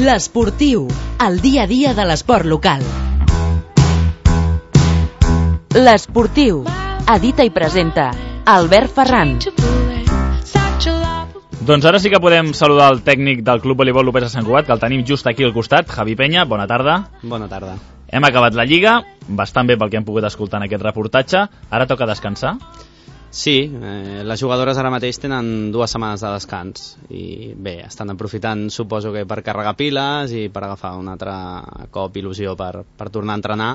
L'Esportiu, el dia a dia de l'esport local. L'Esportiu, edita i presenta Albert Ferran. Doncs ara sí que podem saludar el tècnic del Club Voleibol Lopez de Sant Cugat, que el tenim just aquí al costat, Javi Peña. Bona tarda. Bona tarda. Hem acabat la Lliga, bastant bé pel que hem pogut escoltar en aquest reportatge. Ara toca descansar. Sí, les jugadores ara mateix tenen 2 setmanes de descans i bé, estan aprofitant, suposo que per carregar piles i per agafar un altre cop il·lusió per tornar a entrenar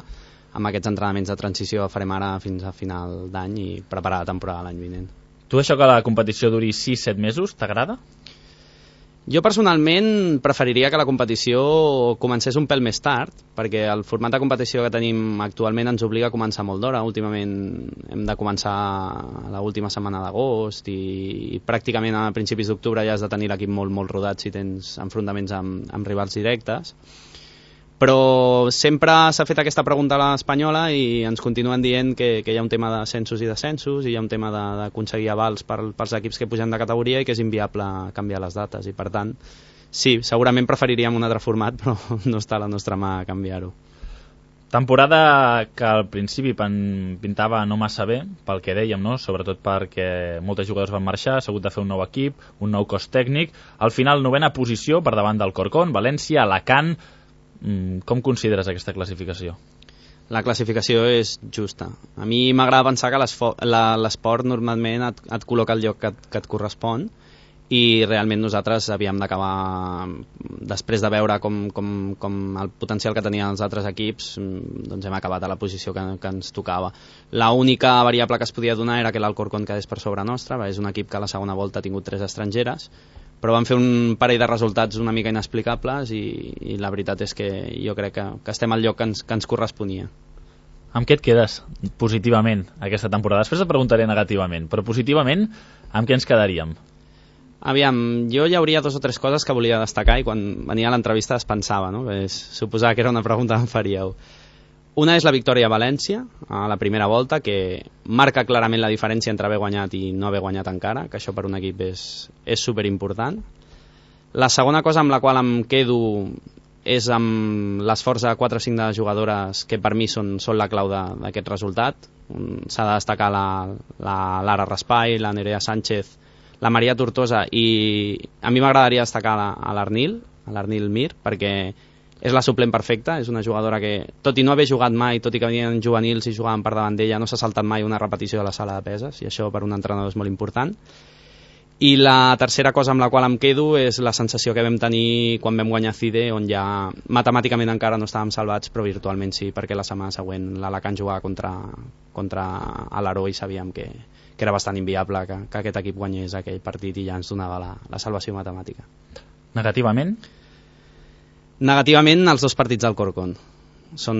amb aquests entrenaments de transició que farem ara fins a final d'any i preparar la temporada l'any vinent. Tu això que la competició duri 6-7 mesos, t'agrada? Jo personalment preferiria que la competició comencés un pèl més tard, perquè el format de competició que tenim actualment ens obliga a començar molt d'hora. Últimament hem de començar a l'última setmana d'agost i pràcticament a principis d'octubre ja has de tenir l'equip molt rodat si tens enfrontaments amb rivals directes. Però sempre s'ha fet aquesta pregunta a l'Espanyola i ens continuen dient que hi ha un tema d'ascensos i descensos i hi ha un tema d'aconseguir avals pels equips que pugen de categoria i que és inviable canviar les dates i per tant, sí, segurament preferiríem un altre format però no està a la nostra mà canviar-ho. Temporada que al principi pintava no massa bé, pel que dèiem, no? Sobretot perquè molts jugadors van marxar, s'ha hagut de fer un nou equip, un nou cos tècnic. Al final, 9a posició per davant del Corcón, València, Alacant. Com consideres aquesta classificació? La classificació és justa. A mi m'agrada pensar que l'esport normalment et col·loca el lloc que et correspon i realment nosaltres havíem d'acabar, després de veure com el potencial que tenien els altres equips, doncs hem acabat a la posició que ens tocava. L'única variable que es podia donar era que l'Alcorcón quedés per sobre nostra, és un equip que a la segona volta ha tingut 3 estrangeres, però van fer un parell de resultats una mica inexplicables i la veritat és que jo crec que estem al lloc que ens corresponia. Amb què et quedes positivament aquesta temporada? Després et preguntaré negativament, però positivament amb què ens quedaríem? Aviam, jo hi hauria 2 o 3 coses que volia destacar i quan venia a l'entrevista es pensava, no? Suposava que era una pregunta que em faríeu. Una és la victòria a València, a la primera volta, que marca clarament la diferència entre haver guanyat i no haver guanyat encara, que això per un equip és superimportant. La segona cosa amb la qual em quedo és amb l'esforç de 4 o 5 de jugadores que per mi són la clau d'aquest resultat. S'ha de destacar la Lara Raspai, la Nerea Sánchez, la Maria Tortosa i a mi m'agradaria destacar a l'Arnil Mir, perquè és la suplent perfecta, és una jugadora que, tot i no haver jugat mai, tot i que venien juvenils i jugaven per davant d'ella, no s'ha saltat mai una repetició de la sala de peses, i això per un entrenador és molt important. I la tercera cosa amb la qual em quedo és la sensació que vam tenir quan vam guanyar CIDE, on ja matemàticament encara no estàvem salvats, però virtualment sí, perquè la setmana següent l'Alacant jugava contra l'Aró i sabíem que era bastant inviable que aquest equip guanyés aquell partit i ja ens donava la salvació matemàtica. Negativament? Negativament, els 2 partits del Corcón. Són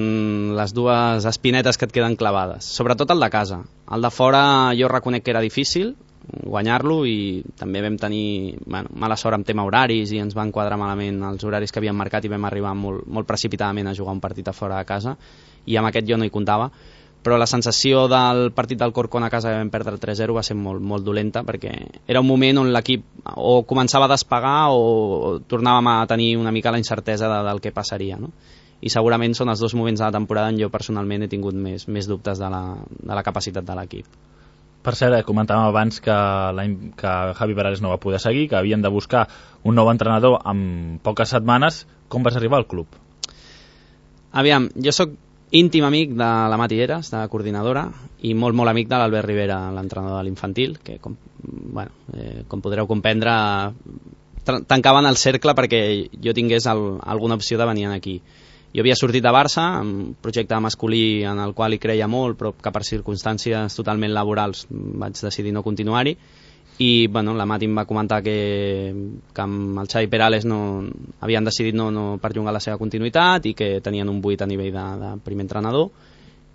les 2 espinetes que et queden clavades. Sobretot el de casa. El de fora jo reconec que era difícil guanyar-lo i també vam tenir mala sort amb tema horaris i ens van quadrar malament els horaris que havíem marcat i vam arribar molt precipitadament a jugar un partit a fora de casa i amb aquest jo no hi comptava. Però la sensació del partit del Corcón a casa que vam perdre 3-0 va ser molt dolenta perquè era un moment on l'equip o començava a despegar o tornàvem a tenir una mica la incertesa del que passaria, no? I segurament són els 2 moments de la temporada on jo personalment he tingut més dubtes de la capacitat de l'equip. Per cert, comentàvem abans que Javi Perales no va poder seguir, que havien de buscar un nou entrenador en poques setmanes. Com vas arribar al club? Aviam, jo sóc íntim amic de la Mati Eras, de la coordinadora, i molt amic de l'Albert Rivera, l'entrenador de l'infantil, que com podreu comprendre tancaven el cercle perquè jo tingués alguna opció de venir aquí. Jo havia sortit de Barça, un projecte masculí en el qual hi creia molt, però que per circumstàncies totalment laborals vaig decidir no continuar-hi, i la Mati em va comentar que amb el Xavi Perales havien decidit no perllongar la seva continuïtat i que tenien un buit a nivell de primer entrenador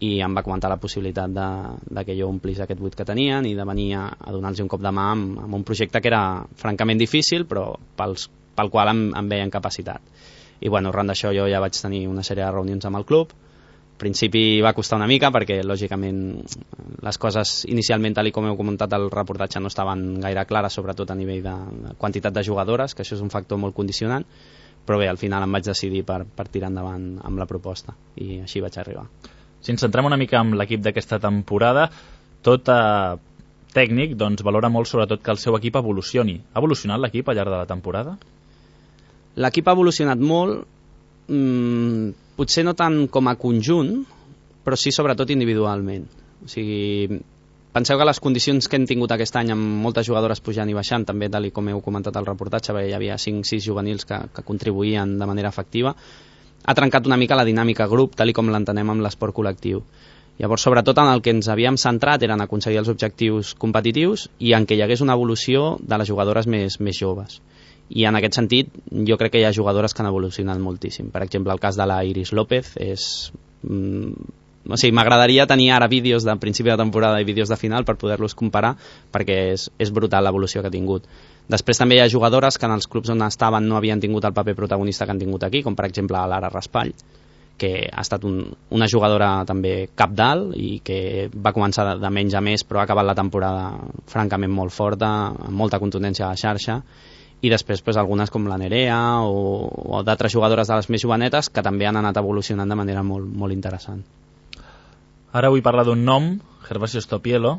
i em va comentar la possibilitat de que jo omplís aquest buit que tenien i de venir a donar-los un cop de mà amb un projecte que era francament difícil però pel qual em veien capacitat. I arran d'això jo ja vaig tenir una sèrie de reunions amb el club. Al principi va costar una mica perquè lògicament les coses inicialment, tal com heu comentat al reportatge, no estaven gaire clares, sobretot a nivell de quantitat de jugadores, que això és un factor molt condicionant, però bé, al final em vaig decidir per tirar endavant amb la proposta i així vaig arribar. Si ens centrem una mica en l'equip d'aquesta temporada, tot tècnic doncs, valora molt sobretot que el seu equip evolucioni. Ha evolucionat l'equip al llarg de la temporada? L'equip ha evolucionat molt, potser no tant com a conjunt, però sí sobretot individualment. O sigui, penseu que les condicions que hem tingut aquest any amb moltes jugadores pujant i baixant, també tal com heu comentat al reportatge, perquè hi havia 5-6 juvenils que contribuïen de manera efectiva, ha trencat una mica la dinàmica grup, tal com l'entenem amb l'esport col·lectiu. Llavors, sobretot en el que ens havíem centrat eren aconseguir els objectius competitius i en què hi hagués una evolució de les jugadores més joves. I en aquest sentit, jo crec que hi ha jugadores que han evolucionat moltíssim. Per exemple, el cas de la Iris López és... O sigui, m'agradaria tenir ara vídeos de principi de temporada i vídeos de final per poder-los comparar, perquè és brutal l'evolució que ha tingut. Després també hi ha jugadores que en els clubs on estaven no havien tingut el paper protagonista que han tingut aquí, com per exemple Lara Raspall, que ha estat una jugadora també cabdal i que va començar de menys a més, però ha acabat la temporada francament molt forta, amb molta contundència a la xarxa, i després pues, algunes com la Nerea o d'altres jugadores de les més jovenetes que també han anat evolucionant de manera molt, molt interessant. Ara vull parlar d'un nom, Gervasio Stopielo,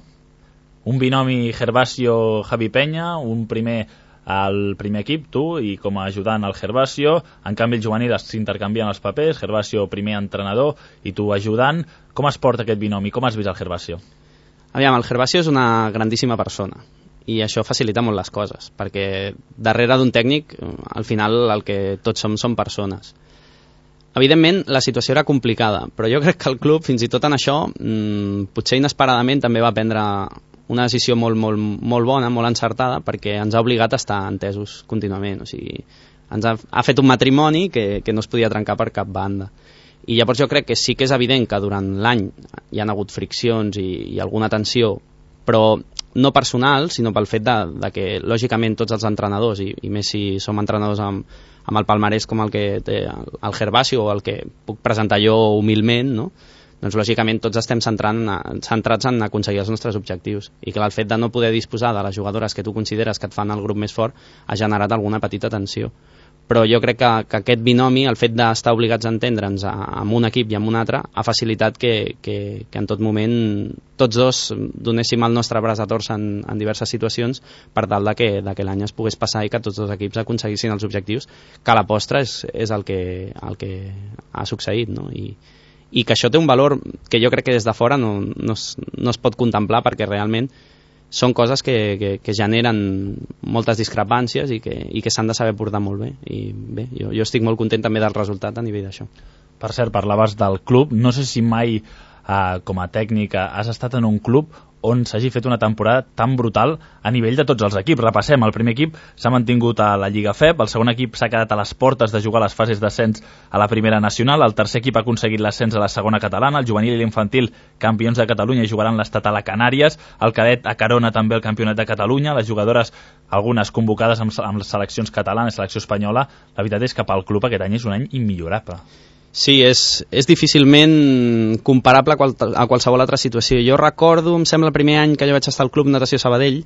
un binomi Gervasio-Javi Peña, un primer al primer equip, tu, i com a ajudant al Gervasio. En canvi, el juvenil s'intercanvien els papers, Gervasio primer entrenador i tu ajudant. Com es porta aquest binomi? Com has vist el Gervasio? Aviam, el Gervasio és una grandíssima persona i això facilita molt les coses, perquè darrere d'un tècnic, al final el que tots som persones. Evidentment, la situació era complicada, però jo crec que el club, fins i tot en això, potser inesperadament també va prendre una decisió molt bona, molt encertada, perquè ens ha obligat a estar entesos contínuament. O sigui, ens ha fet un matrimoni que no es podia trencar per cap banda. I llavors jo crec que sí que és evident que durant l'any hi han hagut friccions i alguna tensió, però no personal, sinó pel fet de que, lògicament, tots els entrenadors, i més si som entrenadors amb el palmarès com el que té el Gervasio o el que puc presentar jo humilment, no? Doncs lògicament tots estem centrats en aconseguir els nostres objectius, i que el fet de no poder disposar de les jugadores que tu consideres que et fan el grup més fort ha generat alguna petita tensió. Però jo crec que aquest binomi, el fet d'estar obligats a entendre'ns amb un equip i amb un altre, ha facilitat que en tot moment tots dos donéssim el nostre braç a torça en diverses situacions per tal de que l'any es pogués passar i que tots dos equips aconseguissin els objectius, que a la postre és el que ha succeït, no? I que això té un valor que jo crec que des de fora no es pot contemplar, perquè realment són coses que generen moltes discrepàncies i que s'han de saber portar molt bé. I bé, jo estic molt content també del resultat a nivell d'això. Per cert, parlaves del club. No sé si mai, com a tècnic, has estat en un club on s'hagi fet una temporada tan brutal a nivell de tots els equips. Repassem, el primer equip s'ha mantingut a la Lliga FEB, el segon equip s'ha quedat a les portes de jugar les fases d'ascens a la primera nacional, el tercer equip ha aconseguit l'ascens a la segona catalana, el juvenil i l'infantil campions de Catalunya i jugaran l'estatal a Canàries, el cadet a Carona també el campionat de Catalunya, les jugadores, algunes convocades amb les seleccions catalanes, selecció espanyola. La veritat és que pel club aquest any és un any immillorable. Sí, és difícilment comparable a qualsevol altra situació. Jo recordo, em sembla, el primer any que jo vaig estar al Club Natació Sabadell,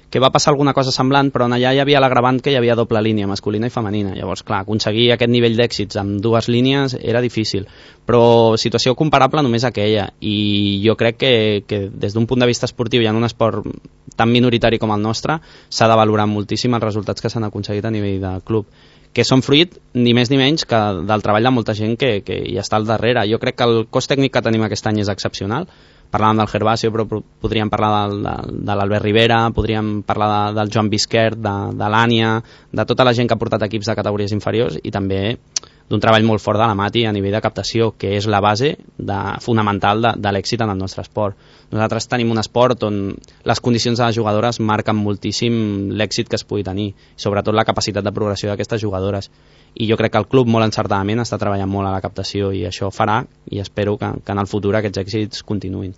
que va passar alguna cosa semblant, però allà hi havia l'agravant que hi havia doble línia, masculina i femenina. Llavors, clar, aconseguir aquest nivell d'èxits amb dues línies era difícil, però situació comparable només aquella. I jo crec que des d'un punt de vista esportiu i en un esport tan minoritari com el nostre, s'ha de valorar moltíssim els resultats que s'han aconseguit a nivell de club, que són fruit ni més ni menys que del treball de molta gent que hi està al darrere. Jo crec que el cos tècnic que tenim aquest any és excepcional. Parlàvem del Gervasio, però podríem parlar de l'Albert Rivera, podríem parlar del Joan Bisquert, de l'Ània, de tota la gent que ha portat equips de categories inferiors, i també d'un treball molt fort de la Mati a nivell de captació, que és la base fonamental de l'èxit en el nostre esport. Nosaltres tenim un esport on les condicions de les jugadores marquen moltíssim l'èxit que es pugui tenir, sobretot la capacitat de progressió d'aquestes jugadores. I jo crec que el club molt encertadament està treballant molt a la captació, i això farà, i espero que en el futur aquests èxits continuïn.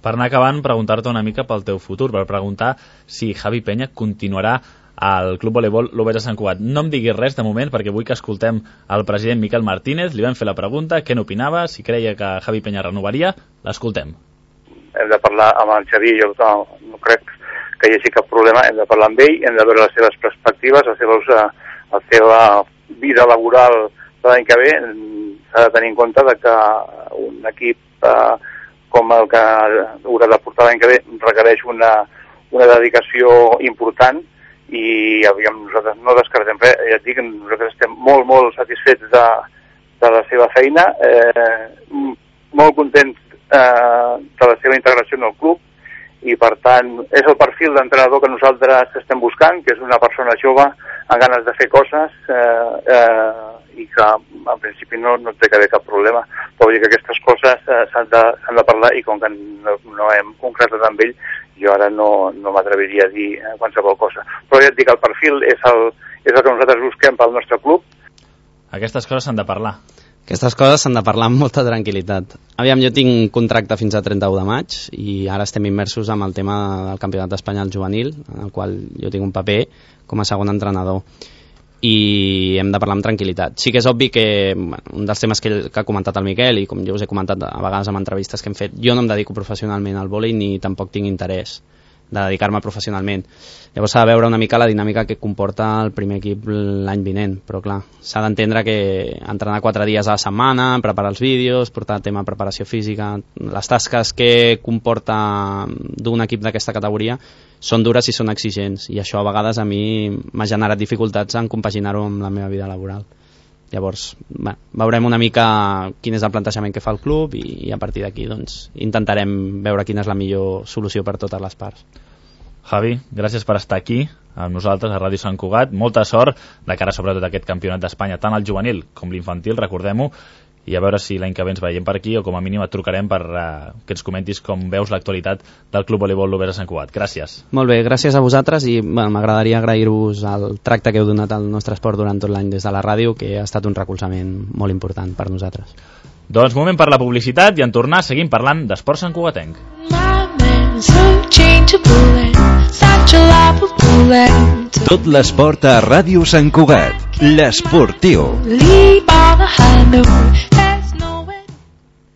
Per anar acabant, preguntar-te una mica pel teu futur, per preguntar si Javi Peña continuarà al Club Voleibol Lobesa Sant Cugat. No em diguis res de moment, perquè vull que escoltem el president Miquel Martínez. Li vam fer la pregunta, què n'opinava, si creia que Javi Peña renovaria. L'escoltem. Hem de parlar amb el Xavi, jo no crec que hi hagi cap problema, hem de parlar amb ell, hem de veure les seves perspectives, la seva vida laboral de l'any que ve, s'ha de tenir en compte de que un equip com el que haurà de portar l'any que ve requereix una dedicació important i nosaltres no descartem res. Ja et dic, nosaltres estem molt, molt satisfets de la seva feina, molt contents de la seva integració en el club i per tant és el perfil d'entrenador que nosaltres estem buscant, que és una persona jove amb ganes de fer coses i que en principi no té que haver cap problema, però vull dir que aquestes coses s'han de parlar i com que no hem concretat amb ell, jo ara no m'atreviria a dir qualsevol cosa. Però ja et dic, el perfil és el que nosaltres busquem pel nostre club. Aquestes coses s'han de parlar. Aquestes coses s'han de parlar amb molta tranquil·litat. Aviam, jo tinc contracte fins a 31 de maig i ara estem immersos amb el tema del Campionat d'Espanya al juvenil, en el qual jo tinc un paper com a segon entrenador i hem de parlar amb tranquil·litat. Sí que és obvi que un dels temes que ha comentat el Miquel i com jo us he comentat a vegades en entrevistes que hem fet, jo no em dedico professionalment al vòlei ni tampoc tinc interès de dedicar-me professionalment. Llavors s'ha de veure una mica la dinàmica que comporta el primer equip l'any vinent, però clar, s'ha d'entendre que entrenar 4 dies a la setmana, preparar els vídeos, portar tema de preparació física, les tasques que comporta d'un equip d'aquesta categoria són dures i són exigents, i això a vegades a mi m'ha generat dificultats en compaginar-ho amb la meva vida laboral. Llavors, veurem una mica quin és el plantejament que fa el club i a partir d'aquí doncs, intentarem veure quina és la millor solució per totes les parts. Javi, gràcies per estar aquí amb nosaltres a Ràdio Sant Cugat. Molta sort de cara sobretot a aquest campionat d'Espanya, tant el juvenil com l'infantil, recordem-ho, i a veure si l'any que ve ens veiem per aquí o com a mínim et trucarem per que ens comentis com veus l'actualitat del Club Voleibol Lovera Sant Cugat. Gràcies. Molt bé, gràcies a vosaltres i m'agradaria agrair-vos el tracte que heu donat al nostre esport durant tot l'any des de la ràdio, que ha estat un recolzament molt important per nosaltres. Doncs moment per la publicitat i en tornar seguim parlant d'esport santcugatenc. Tot l'esport a Ràdio Sant Cugat. L'Esportiu.